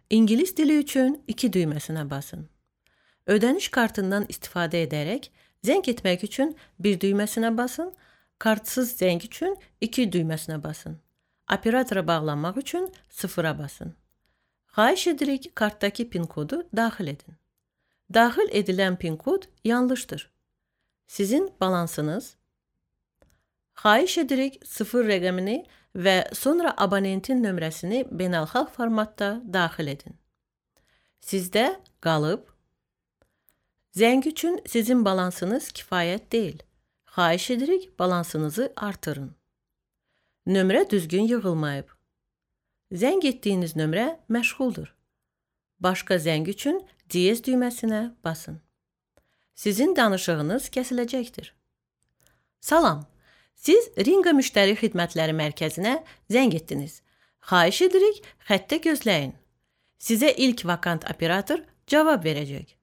İngilis dili üçün 2 düyməsinə basın. Ödəniş kartından istifadə edərək zəng etmək üçün 1 düyməsinə basın, kartsız zəng üçün 2 düyməsinə basın. Operatora bağlanmaq üçün 0-a basın. Xahiş edirik, kartdakı pin kodu daxil edin. Daxil edilən pin kod yanlışdır. Sizin balansınız. Xahiş edirik, 0 rəqəmini və sonra abonentin nömrəsini beynəlxalq formatda daxil edin. Sizdə qalıb. Zəng üçün sizin balansınız kifayət deyil. Xahiş edirik, balansınızı artırın. Nömrə düzgün yığılmayıb. Zəng etdiyiniz nömrə məşğuldur. Başqa zəng üçün diyez düyməsinə basın. Sizin danışığınız kəsiləcəkdir. Salam, siz Ringa Müştəri Xidmətləri Mərkəzinə zəng etdiniz. Xahiş edirik, xəttə gözləyin. Sizə ilk vakant operator cavab verəcək.